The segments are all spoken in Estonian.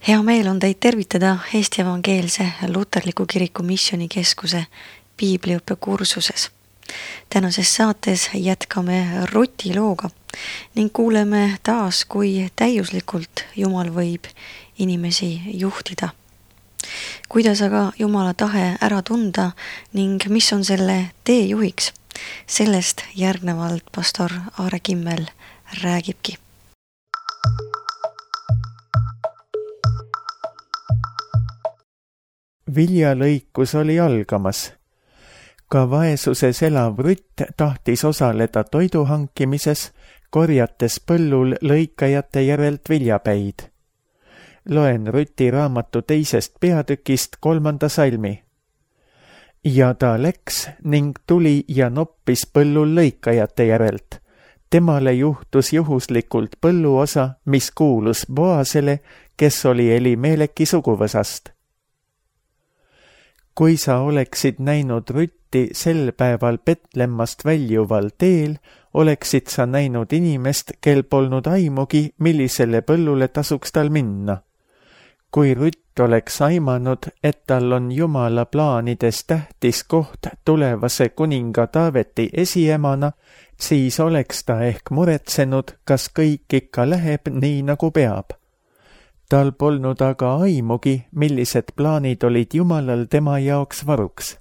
Hea meel on teid tervitada Eesti Evangeelse Luterliku Kiriku Missioonikeskuse piibliõppe kursuses. Tänases saates jätkame Ruti looga ning kuuleme taas, kui täiuslikult Jumal võib inimesi juhtida. Kuidas aga Jumala tahe ära tunda ning mis on selle teejuhiks? Sellest järgnevalt pastor Aare Kimmel räägibki. Viljalõikus oli algamas. Ka vaesuses elav Rutt tahtis osaleda toidu hankimises, korjates põllul lõikajate järelt viljapäid. Loen Ruti raamatu 2. peatükist 3. salmi. Ja ta läks ning tuli ja noppis põllul lõikajate järelt. Temale juhtus juhuslikult põlluosa, mis kuulus Boasele, kes oli Elimeleki suguvõsast. Kui sa oleksid näinud Rutti sel päeval Betlemmast väljuval teel, oleksid sa näinud inimest, kel polnud aimugi, millisele põllule tasuks tal minna. Kui Rutt oleks aimanud, et tal on Jumala plaanides tähtis koht tulevase kuninga Taaveti esiemana, siis oleks ta ehk muretsenud, kas kõik ikka läheb nii, nagu peab. Tal polnud aga aimugi, millised plaanid olid Jumalal tema jaoks varuks.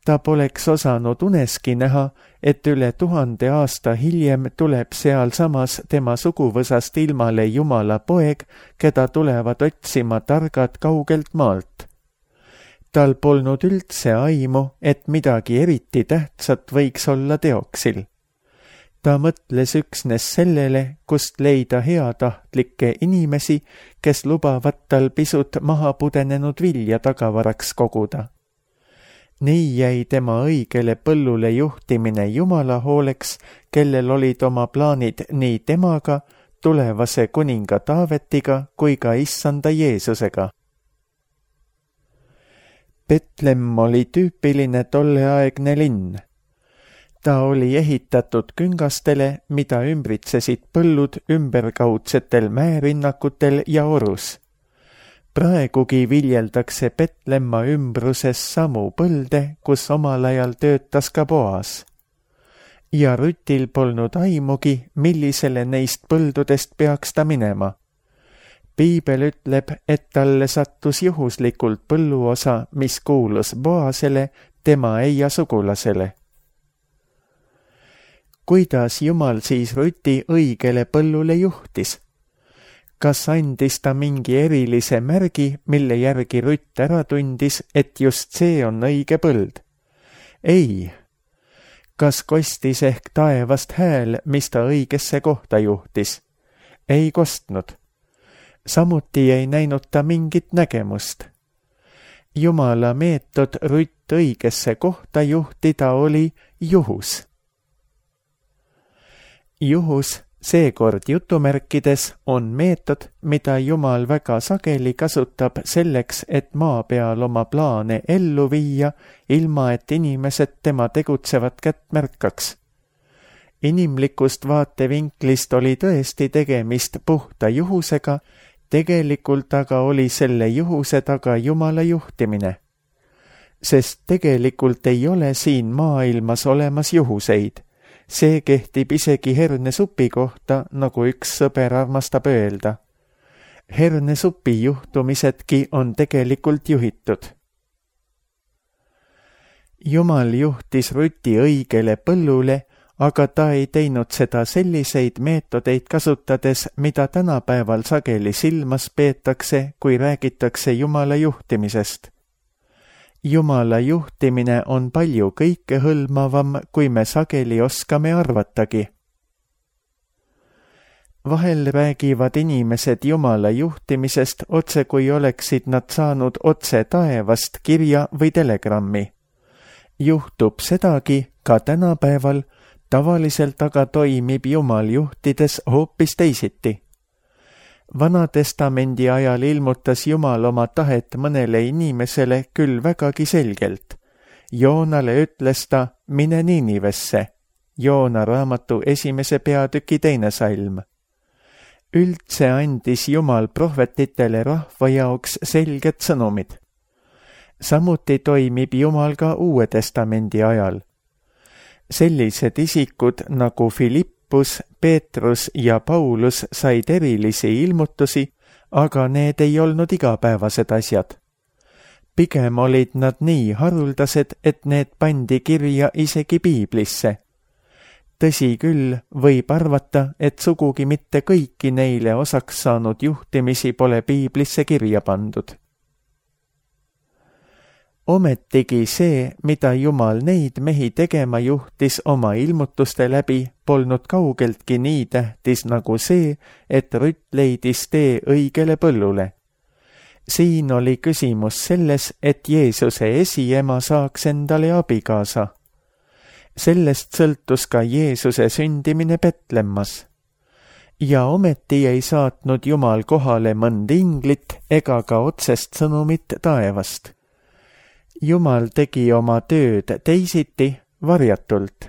Ta poleks osanud uneski näha, et üle 1000 aasta hiljem tuleb sealsamas tema suguvõsast ilmale Jumala poeg, keda tulevad otsima targad kaugelt maalt. Tal polnud üldse aimu, et midagi eriti tähtsat võiks olla teoksil. Ta mõtles üksnes sellele, kust leida heatahtlikke inimesi, kes lubavad tal pisut maha pudenenud vilja tagavaraks koguda. Nii jäi tema õigele põllule juhtimine Jumala hooleks, kellel olid oma plaanid nii temaga, tulevase kuninga Taavetiga kui ka issanda Jeesusega. Betlemm oli tüüpiline tolleaegne linn. Ta oli ehitatud küngastele, mida ümbritsesid põllud ümberkaudsetel mäerinnakutel ja orus. Praegugi viljeldakse Betlemma ümbruses samu põlde, kus omal ajal töötas ka Boas. Ja Rutil polnud aimugi, millisele neist põldudest peaks ta minema. Piibel ütleb, et talle sattus juhuslikult põlluosa, mis kuulus Boasele, tema eia sugulasele. Kuidas Jumal siis Ruti õigele põllule juhtis? Kas andis ta mingi erilise märgi, mille järgi Rutt ära tundis, et just see on õige põld? Ei. Kas kostis ehk taevast hääl, mis ta õigesse kohta juhtis? Ei kostnud. Samuti ei näinud ta mingit nägemust. Jumala meetod Rutt õigesse kohta juhtida oli juhus. Juhus, seekord jutumärkides, on meetod, mida Jumal väga sageli kasutab selleks, et maa peal oma plaane ellu viia, ilma et inimesed tema tegutsevat kätt märkaks. Inimlikust vaatevinklist oli tõesti tegemist puhta juhusega, tegelikult aga oli selle juhuse taga Jumala juhtimine. Sest tegelikult ei ole siin maailmas olemas juhuseid. See kehtib isegi hernesupi kohta, nagu üks sõber armastab öelda. Hernesupi juhtumisedki on tegelikult juhitud. Jumal juhtis Ruti õigele põllule, aga ta ei teinud seda selliseid meetodeid kasutades, mida tänapäeval sageli silmas peetakse, kui räägitakse Jumala juhtimisest. Jumala juhtimine on palju kõikehõlmavam, kui me sageli oskame arvatagi. Vahel räägivad inimesed Jumala juhtimisest otse, kui oleksid nad saanud otse taevast kirja või telegrammi. Juhtub sedagi ka tänapäeval, tavaliselt aga toimib Jumal juhtides hoopis teisiti. Vanatestamendi ajal ilmutas Jumal oma tahet mõnele inimesele küll vägagi selgelt. Joonale ütles ta, mine Niinivesse. Joona raamatu 1. peatüki 2. salm. Üldse andis Jumal prohvetitele rahva jaoks selged sõnumid. Samuti toimib Jumal ka Uue Testamendi ajal. Sellised isikud nagu Filippus, Peetrus ja Paulus said erilisi ilmutusi, aga need ei olnud igapäevased asjad. Pigem olid nad nii haruldased, et need pandi kirja isegi piiblisse. Tõsi küll, võib arvata, et sugugi mitte kõiki neile osaks saanud juhtimisi pole piiblisse kirja pandud. Ometigi see, mida Jumal neid mehi tegema juhtis oma ilmutuste läbi, polnud kaugeltki nii tähtis nagu see, et Rutt leidis tee õigele põllule. Siin oli küsimus selles, et Jeesuse esiema saaks endale abikaasa. Sellest sõltus ka Jeesuse sündimine Petlemmas. Ja ometi ei saatnud Jumal kohale mõnd inglit ega ka otsest sõnumit taevast. Jumal tegi oma tööd teisiti, varjatult.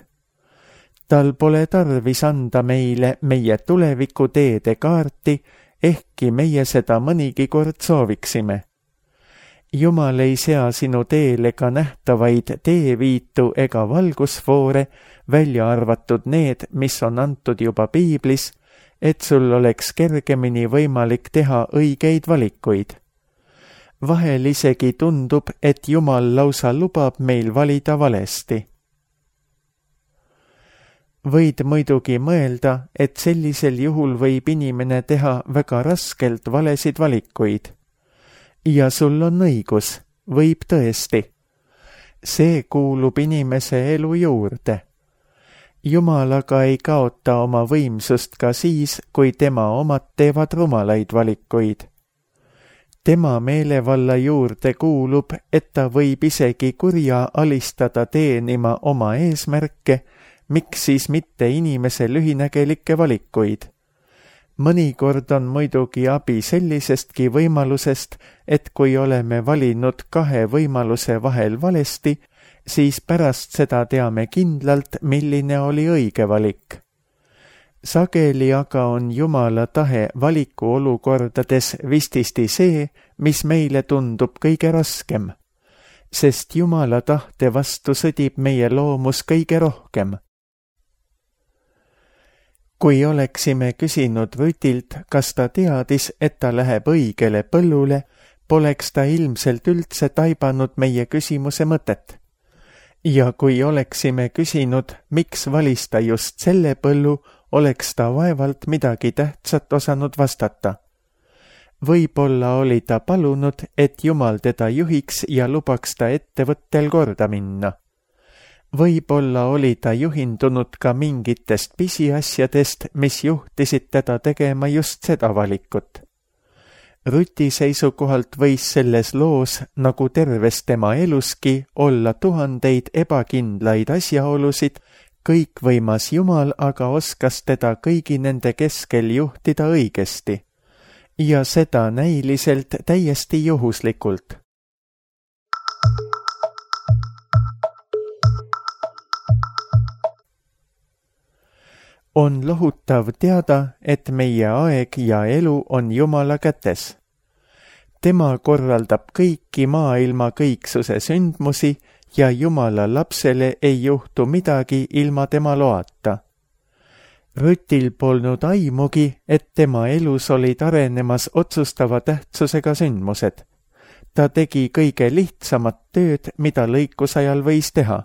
Tal pole tarvis anda meile meie tuleviku teede kaarti, ehkki meie seda mõnigi kord sooviksime. Jumal ei sea sinu teele ka nähtavaid teeviitu ega valgusfoore, välja arvatud need, mis on antud juba piiblis, et sul oleks kergemini võimalik teha õigeid valikuid. Vahel isegi tundub, et Jumal lausa lubab meil valida valesti. Võid muidugi mõelda, et sellisel juhul võib inimene teha väga raskelt valesid valikuid. Ja sul on õigus, võib tõesti. See kuulub inimese elu juurde. Jumal aga ei kaota oma võimsust ka siis, kui tema omad teevad rumalaid valikuid. Tema meelevalla juurde kuulub, et ta võib isegi kurja alistada teenima oma eesmärke, miks siis mitte inimese lühinägelikke valikuid. Mõnikord on muidugi abi sellisestki võimalusest, et kui oleme valinud kahe võimaluse vahel valesti, siis pärast seda teame kindlalt, milline oli õige valik. Sageli aga on Jumala tahe valikuolukordades vististi see, mis meile tundub kõige raskem, sest Jumala tahte vastu sõdib meie loomus kõige rohkem. Kui oleksime küsinud Rutilt, kas ta teadis, et ta läheb õigele põllule, poleks ta ilmselt üldse taibanud meie küsimuse mõtet. Ja kui oleksime küsinud, miks valis ta just selle põllu, oleks ta vaevalt midagi tähtsat osanud vastata. Võib-olla oli ta palunud, et Jumal teda juhiks ja lubaks ta ettevõttel korda minna. Võib-olla oli ta juhindunud ka mingitest pisiasjadest, mis juhtisid teda tegema just seda valikut. Ruti seisukohalt võis selles loos, nagu terves tema eluski, olla tuhandeid ebakindlaid asjaolusid, kõikvõimas Jumal aga oskas teda kõigi nende keskel juhtida õigesti. Ja seda näiliselt täiesti juhuslikult. On lohutav teada, et meie aeg ja elu on Jumala kätes. Tema korraldab kõiki maailma kõiksuse sündmusi ja Jumala lapsele ei juhtu midagi ilma tema loata. Rutil polnud aimugi, et tema elus olid arenemas otsustava tähtsusega sündmused. Ta tegi kõige lihtsamat tööd, mida lõikusajal võis teha.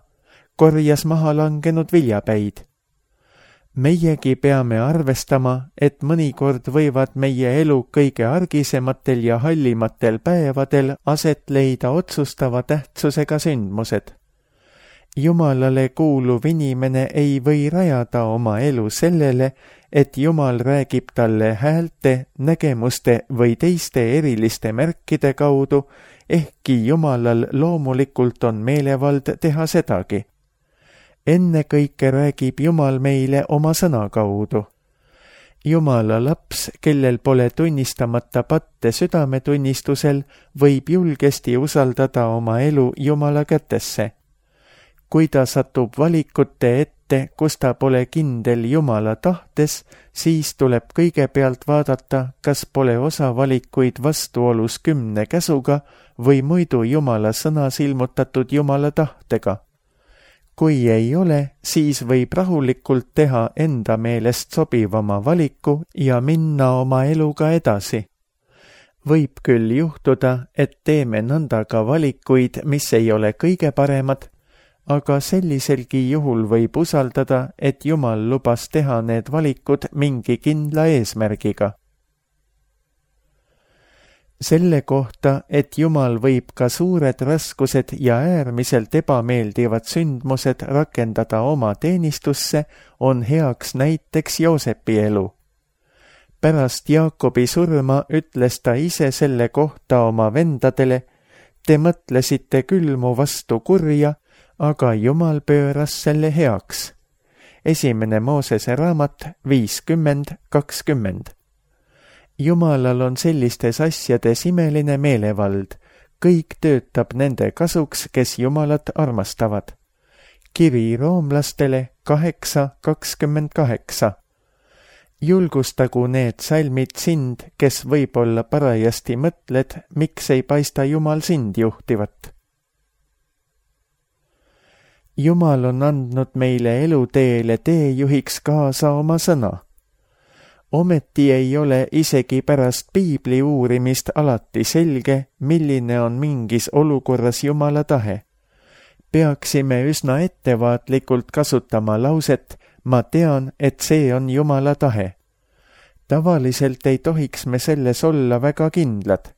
Korjas maha langenud viljapäid. Meiegi peame arvestama, et mõnikord võivad meie elu kõige argisematel ja hallimatel päevadel aset leida otsustava tähtsusega sündmused. Jumalale kuuluv inimene ei või rajada oma elu sellele, et Jumal räägib talle häälte, nägemuste või teiste eriliste märkide kaudu, ehkki Jumalal loomulikult on meelevald teha sedagi. Ennekõike räägib Jumal meile oma sõna kaudu. Jumala laps, kellel pole tunnistamata patte südametunnistusel, võib julgesti usaldada oma elu Jumala kätesse. kui ta satub valikute ette, kus ta pole kindel Jumala tahtes, siis tuleb kõigepealt vaadata, kas pole osa valikuid vastuolus 10 käsuga või muidu Jumala sõnas ilmutatud Jumala tahtega. Kui ei ole, siis võib rahulikult teha enda meelest sobivama valiku ja minna oma eluga edasi. Võib küll juhtuda, et teeme nõnda ka valikuid, mis ei ole kõige paremad, aga selliselgi juhul võib usaldada, et Jumal lubas teha need valikud mingi kindla eesmärgiga. Selle kohta, et Jumal võib ka suured raskused ja äärmiselt ebameeldivad sündmused rakendada oma teenistusse, on heaks näiteks Joosepi elu. Pärast Jaakobi surma ütles ta ise selle kohta oma vendadele: te mõtlesite küll mu vastu kurja, aga Jumal pööras selle heaks. 1. Moosese raamat 50:20. Jumalal on sellistes asjades imeline meelevald, kõik töötab nende kasuks, kes Jumalat armastavad. Kiri roomlastele 8:28. Julgustagu need salmid sind, kes võib-olla parajasti mõtled, miks ei paista Jumal sind juhtivat. Jumal on andnud meile eluteele teejuhiks kaasa oma sõna. Ometi ei ole isegi pärast piibli uurimist alati selge, milline on mingis olukorras Jumala tahe. Peaksime üsna ettevaatlikult kasutama lauset: ma tean, et see on Jumala tahe. Tavaliselt ei tohiks me selles olla väga kindlad.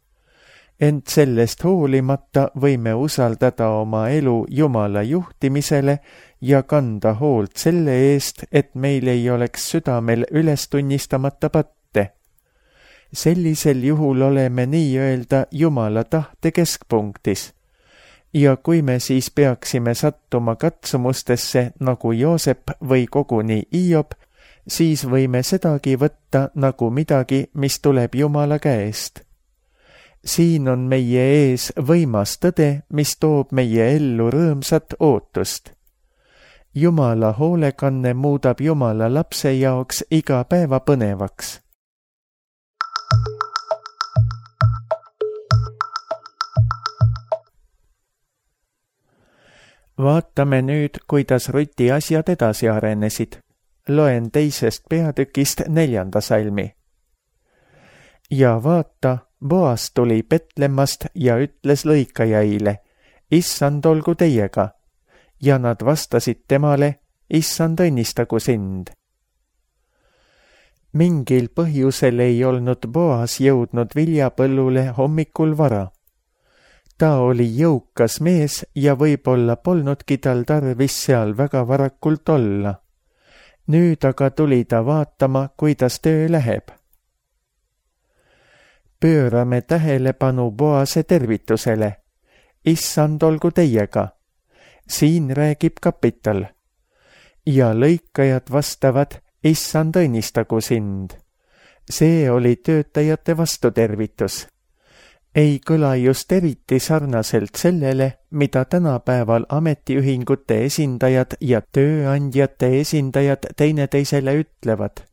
Ent sellest hoolimata võime usaldada oma elu Jumala juhtimisele ja kanda hoolt selle eest, et meil ei oleks südamel üles tunnistamata patte. Sellisel juhul oleme nii-öelda Jumala tahte keskpunktis. Ja kui me siis peaksime sattuma katsumustesse nagu Joosep või koguni Hiob, siis võime sedagi võtta nagu midagi, mis tuleb Jumala käest. Siin on meie ees võimas tõde, mis toob meie ellu rõõmsat ootust. Jumala hoolekanne muudab Jumala lapse jaoks iga päeva põnevaks. Vaatame nüüd, kuidas Ruti asjad edasi arenesid. Loen 2. peatükist 4. salmi. Ja vaata, Boas tuli Betlemmast ja ütles lõikajaile: Issand olgu teiega. Ja nad vastasid temale: Issand õnnistagu sind. Mingil põhjusel ei olnud Boas jõudnud viljapõllule hommikul vara. Ta oli jõukas mees ja võib-olla polnudki tal tarvis seal väga varakult olla. Nüüd aga tuli ta vaatama, kuidas töö läheb. Pöörame tähelepanu Boase tervitusele. Issand olgu teiega. Siin räägib kapital. Ja lõikajad vastavad: Issand õnnistagu sind. See oli töötajate vastutervitus. Ei kõla just eriti sarnaselt sellele, mida tänapäeval ametiühingute esindajad ja tööandjate esindajad teineteisele ütlevad.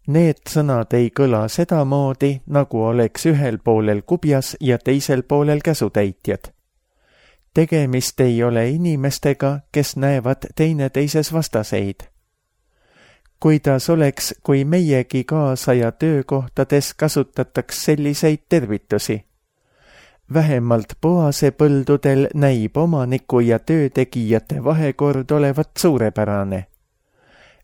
Need sõnad ei kõla sedamoodi, nagu oleks ühel poolel kubjas ja teisel poolel käsutäitjad. Tegemist ei ole inimestega, kes näevad teineteises vastaseid. Kuidas oleks, kui meiegi kaasaja töökohtades kasutataks selliseid tervitusi? Vähemalt Boase põldudel näib omaniku ja töötegijate vahekord olevat suurepärane.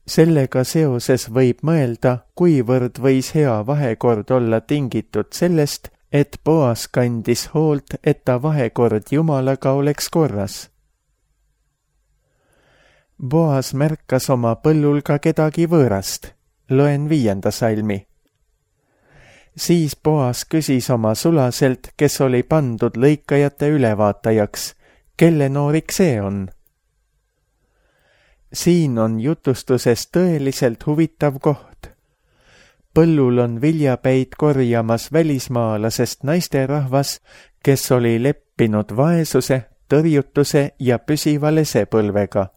Sellega seoses võib mõelda, kuivõrd võis hea vahekord olla tingitud sellest, et Boas kandis hoolt, et ta vahekord Jumalaga oleks korras. Boas märkas oma põllul ka kedagi võõrast. Loen 5. salmi. Siis Boas küsis oma sulaselt, kes oli pandud lõikajate ülevaatajaks: kelle noorik see on? Siin on jutustuses tõeliselt huvitav koht. Põllul on viljapäid korjamas välismaalasest naisterahvas, kes oli leppinud vaesuse, tõrjutuse ja püsiva lesepõlvega.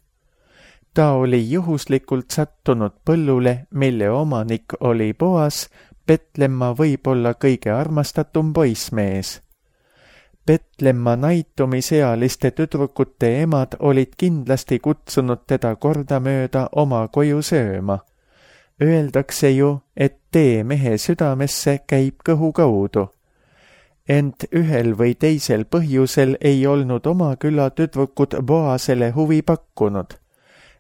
Ta oli juhuslikult sattunud põllule, mille omanik oli Boas, Petlemma võib-olla kõige armastatum poissmees. Petlemma naitumisealiste tüdrukute emad olid kindlasti kutsunud teda kordamööda oma koju sööma. Öeldakse ju, et tee mehe südamesse käib kõhu kaudu. Ent ühel või teisel põhjusel ei olnud oma küla tüdrukud Boasele huvi pakkunud.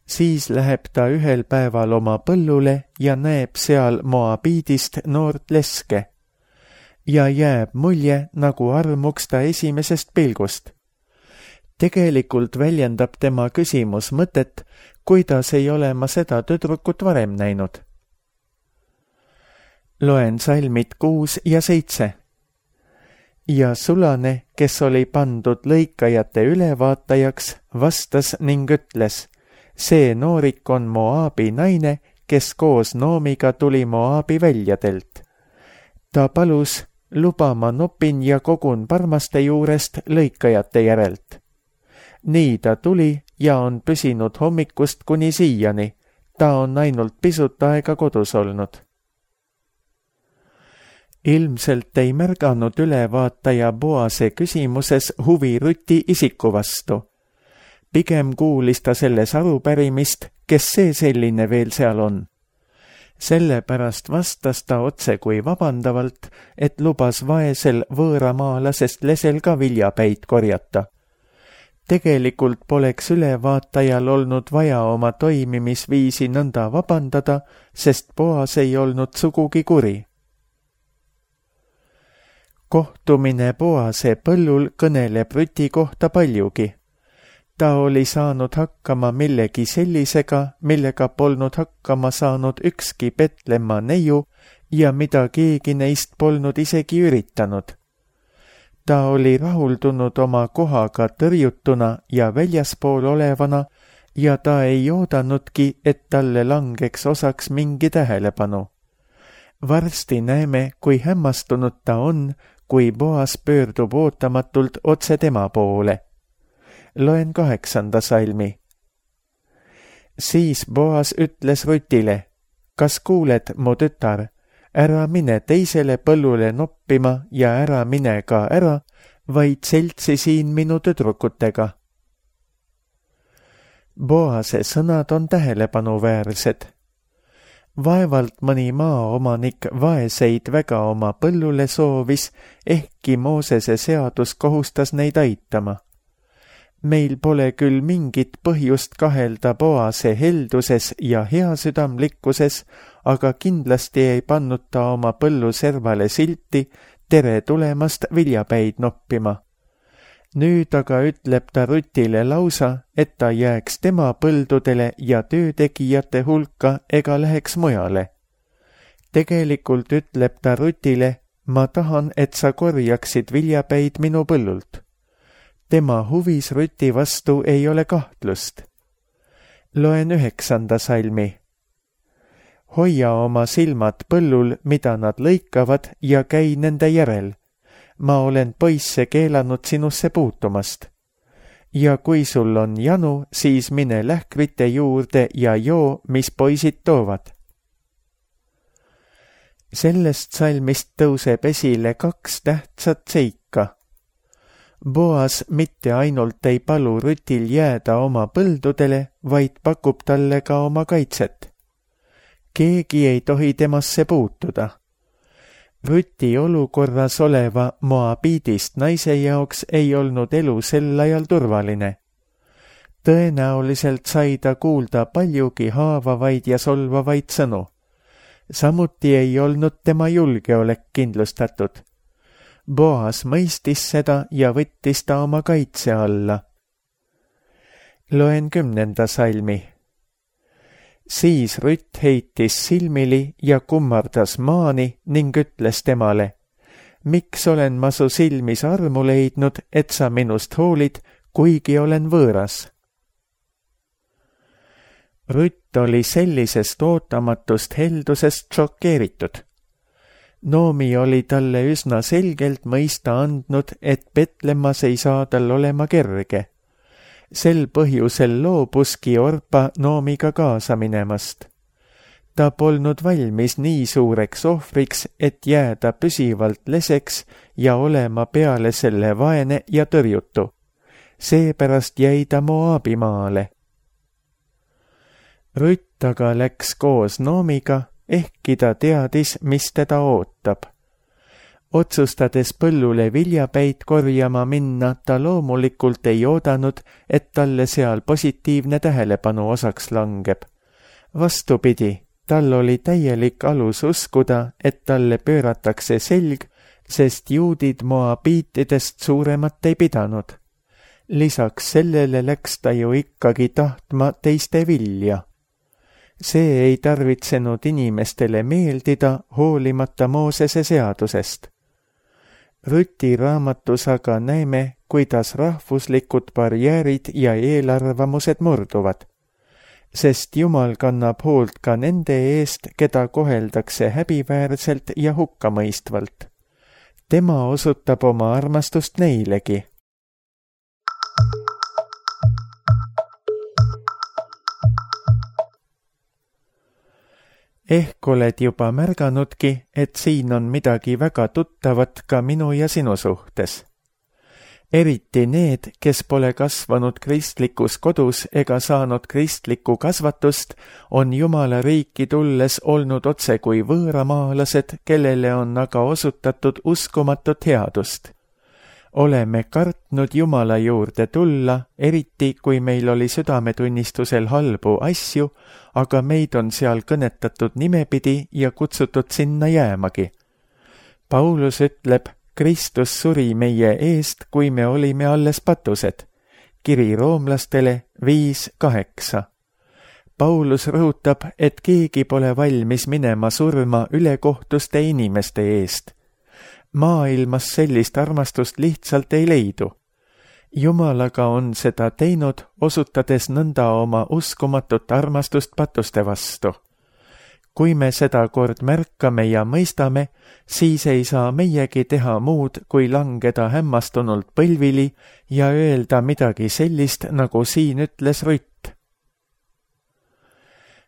Siis läheb ta ühel päeval oma põllule ja näeb seal Moabiidist noort leske. Ja jääb mulje, nagu armuks ta esimesest pilgust. Tegelikult väljendab tema küsimus mõtet, kuidas ei ole ma seda tüdrukut varem näinud. Loen salmid 6 ja 7. Ja Sulane, kes oli pandud lõikajate ülevaatajaks, vastas ning ütles: see noorik on Moabi naine, kes koos Noomiga tuli Moabi väljadelt. Ta palus: luba ma nopin ja kogun parmaste juurest lõikajate järelt. Nii ta tuli ja on püsinud hommikust kuni siiani. Ta on ainult pisut aega kodus olnud. Ilmselt ei märganud ülevaataja Boase küsimuses huvi Ruti isiku vastu. Pigem kuulis ta selles arupärimist, kes see selline veel seal on. Sellepärast vastas ta otse kui vabandavalt, et lubas vaesel võõramaalasest lesel ka viljapäid korjata. Tegelikult poleks ülevaatajal olnud vaja oma toimimisviisi nõnda vabandada, sest Boas ei olnud sugugi kuri. Kohtumine Boase põllul kõneleb Ruti kohta paljugi. Ta oli saanud hakkama millegi sellisega, millega polnud hakkama saanud ükski Petlemma neiu ja mida keegi neist polnud isegi üritanud. Ta oli rahuldunud oma kohaga tõrjutuna ja väljaspool olevana ja ta ei oodanudki, et talle langeks osaks mingi tähelepanu. Varsti näeme, kui hämmastunud ta on, kui Boas pöördub ootamatult otse tema poole. Loen 8. salmi. Siis Boas ütles Rutile: kas kuuled, mu tütar, ära mine teisele põllule noppima ja ära mine ka ära, vaid seltsi siin minu tüdrukutega. Boase sõnad on tähelepanuväärsed. Vaevalt mõni maaomanik vaeseid väga oma põllule soovis, ehkki Moosese seadus kohustas neid aitama. Meil pole küll mingit põhjust kahelda Boase helduses ja heasüdamlikkuses, aga kindlasti ei pannud ta oma põllu servale silti: tere tulemast viljapäid noppima. Nüüd aga ütleb ta Rutile lausa, et ta jääks tema põldudele ja töötegijate hulka ega läheks mujale. Tegelikult ütleb ta Rutile: ma tahan, et sa korjaksid viljapäid minu põllult. Tema huvis Ruti vastu ei ole kahtlust. Loen 9. salmi. Hoia oma silmad põllul, mida nad lõikavad, ja käi nende järel. Ma olen poisse keelanud sinusse puutumast. Ja kui sul on janu, siis mine lähkrite juurde ja joo, mis poisid toovad. Sellest salmist tõuseb esile 2 tähtsat seika. Boas mitte ainult ei palu Rutil jääda oma põldudele, vaid pakub talle ka oma kaitset. Keegi ei tohi temasse puutuda. Ruti olukorras oleva Moabiidist naise jaoks ei olnud elu sel ajal turvaline. Tõenäoliselt sai ta kuulda paljugi haavavaid ja solvavaid sõnu. Samuti ei olnud tema julgeolek kindlustatud. Boas mõistis seda ja võttis ta oma kaitse alla. Loen 10. salmi. Siis Rutt heitis silmili ja kummardas maani ning ütles temale: miks olen ma su silmis armu leidnud, et sa minust hoolid, kuigi olen võõras? Rutt oli sellisest ootamatust heldusest šokeeritud. Noomi oli talle üsna selgelt mõista andnud, et Petlemmas ei saa tal olema kerge. Sel põhjusel loobuski Orpa Noomiga kaasa minemast. Ta polnud valmis nii suureks ohvriks, et jääda püsivalt leseks ja olema peale selle vaene ja tõrjutu. Seepärast jäi ta Moabimaale. Rutt aga läks koos Noomiga, ehkki ta teadis, mis teda ootab. Otsustades põllule viljapäid korjama minna, ta loomulikult ei oodanud, et talle seal positiivne tähelepanu osaks langeb. Vastupidi, tal oli täielik alus uskuda, et talle pööratakse selg, sest juudid moabiitidest suuremat ei pidanud. Lisaks sellele läks ta ju ikkagi tahtma teiste vilja. See ei tarvitsenud inimestele meeldida hoolimata Moosese seadusest. Ruti raamatus aga näeme, kuidas rahvuslikud barjäärid ja eelarvamused murduvad, sest Jumal kannab hoolt ka nende eest, keda koheldakse häbiväärselt ja hukkamõistvalt. Tema osutab oma armastust neilegi. Ehk oled juba märganudki, et siin on midagi väga tuttavat ka minu ja sinu suhtes. Eriti need, kes pole kasvanud kristlikus kodus ega saanud kristlikku kasvatust, on Jumala riiki tulles olnud otse kui võõramaalased, kellele on aga osutatud uskumatut headust. Oleme kartnud Jumala juurde tulla, eriti kui meil oli südametunnistusel halbu asju, aga meid on seal kõnetatud nimepidi ja kutsutud sinna jäämagi. Paulus ütleb, Kristus suri meie eest, kui me olime alles patused. Kiri roomlastele 5:8. Paulus rõhutab, et keegi pole valmis minema surma ülekohtuste inimeste eest. Maailmas sellist armastust lihtsalt ei leidu. Jumal aga on seda teinud, osutades nõnda oma uskumatut armastust patuste vastu. Kui me seda kord märkame ja mõistame, siis ei saa meiegi teha muud, kui langeda hämmastunult põlvili ja öelda midagi sellist, nagu siin ütles Rutt.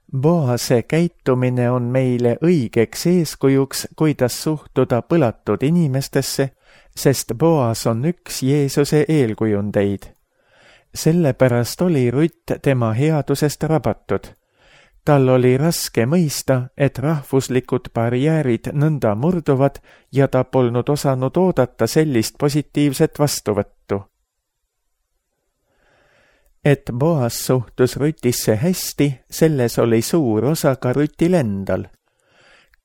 Boase käitumine on meile õigeks eeskujuks, kuidas suhtuda põlatud inimestesse, sest Boas on üks Jeesuse eelkujundeid. Sellepärast oli Rutt tema headusest rabatud. Tal oli raske mõista, et rahvuslikud barjäärid nõnda murduvad ja ta polnud osanud oodata sellist positiivset vastuvõttu. Et Boas suhtus Rutisse hästi, selles oli suur osa ka Rutil endal.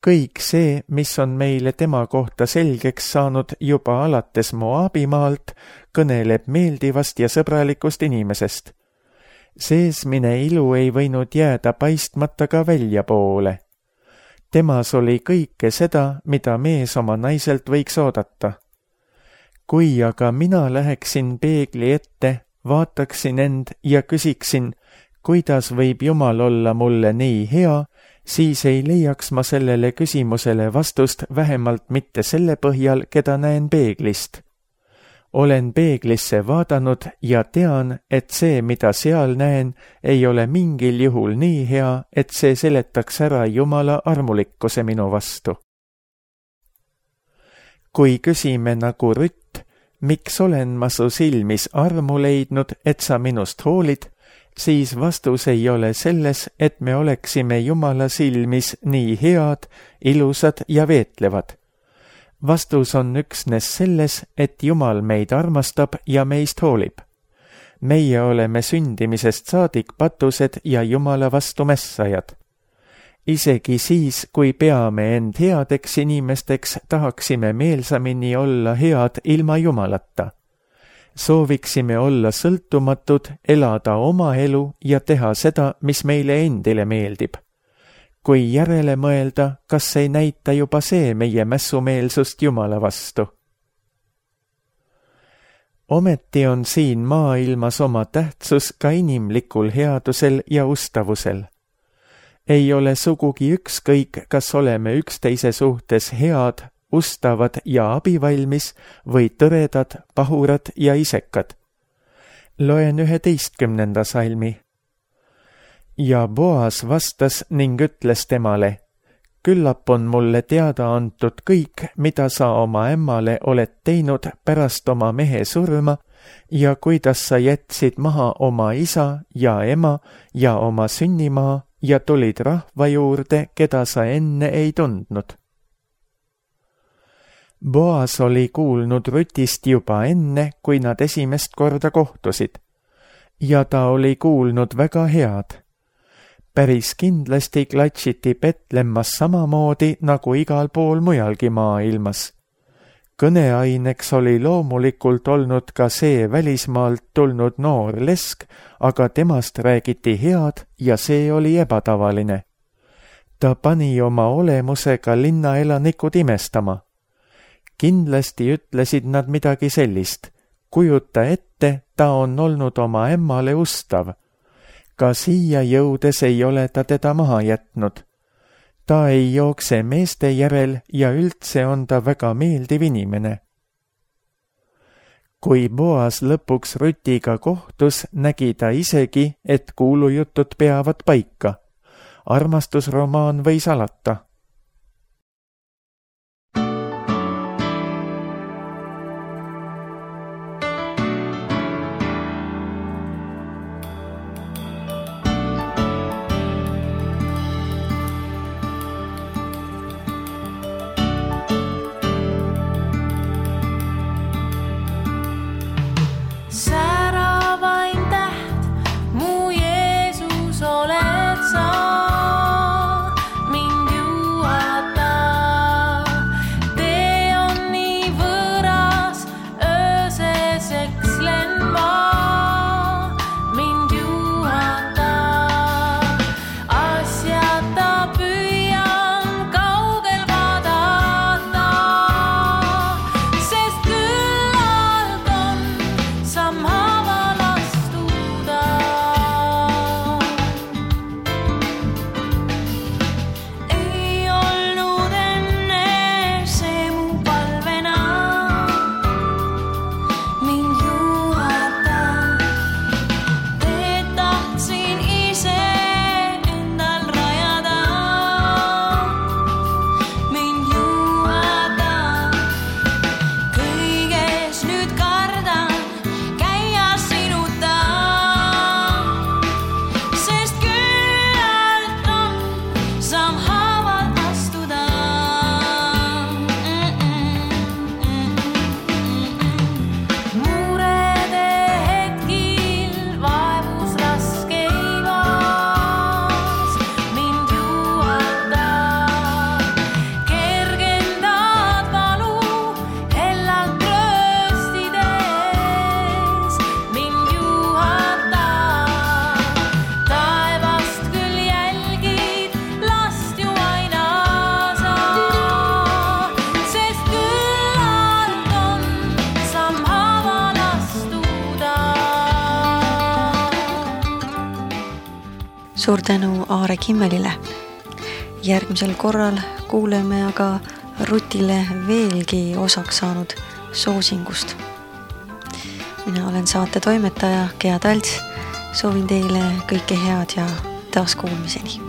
Kõik see, mis on meile tema kohta selgeks saanud juba alates Moabimaalt, kõneleb meeldivast ja sõbralikust inimesest. Seesmine ilu ei võinud jääda paistmata ka väljapoole. Temas oli kõike seda, mida mees oma naiselt võiks oodata. Kui aga mina läheksin peegli ette, vaataksin end ja küsiksin, kuidas võib Jumal olla mulle nii hea, siis ei leiaks ma sellele küsimusele vastust vähemalt mitte selle põhjal, keda näen peeglist. Olen peeglisse vaadanud ja tean, et see, mida seal näen, ei ole mingil juhul nii hea, et see seletaks ära Jumala armulikkuse minu vastu. Kui küsime nagu Rutt, miks olen ma su silmis armu leidnud, et sa minust hoolid, siis vastus ei ole selles, et me oleksime Jumala silmis nii head, ilusad ja veetlevad. Vastus on üksnes selles, et Jumal meid armastab ja meist hoolib. Meie oleme sündimisest saadik patused ja Jumala vastu mässajad. Isegi siis, kui peame end headeks inimesteks, tahaksime meelsamini olla head ilma Jumalata. Sooviksime olla sõltumatud, elada oma elu ja teha seda, mis meile endile meeldib. Kui järele mõelda, kas ei näita juba see meie mässumeelsust Jumala vastu? Ometi on siin maailmas oma tähtsus ka inimlikul headusel ja ustavusel. ei ole sugugi ükskõik, kas oleme üksteise suhtes head, ustavad ja abivalmis või tõredad, pahurad ja isekad. Loen 11. salmi. Ja Boas vastas ning ütles temale: küllap on mulle teada antud kõik, mida sa oma ämmale oled teinud pärast oma mehe surma ja kuidas sa jätsid maha oma isa ja ema ja oma sünnimaa ja tulid rahva juurde, keda sa enne ei tundnud. Boas oli kuulnud Rutist juba enne, kui nad esimest korda kohtusid, ja ta oli kuulnud väga head. Päris kindlasti klatsiti Betlemmas samamoodi nagu igal pool mujalgi maailmas. Kõneaineks oli loomulikult olnud ka see välismaalt tulnud noor lesk, aga temast räägiti head ja see oli ebatavaline. Ta pani oma olemusega linnaelanikud imestama. Kindlasti ütlesid nad midagi sellist. Kujuta ette, ta on olnud oma ämmale ustav. Ka siia jõudes ei ole ta teda maha jätnud. Ta ei jookse meeste järel ja üldse on ta väga meeldiv inimene. Kui Boas lõpuks Rutiga kohtus, nägi ta isegi, et kuulujutud peavad paika. Armastusromaan võis alata. Suur tänu Aare Kimmelile. Järgmisel korral kuuleme aga Rutile veelgi osaks saanud soosingust. Mina olen saate toimetaja Gea Talts. Soovin teile kõike head ja taas kuulmiseni.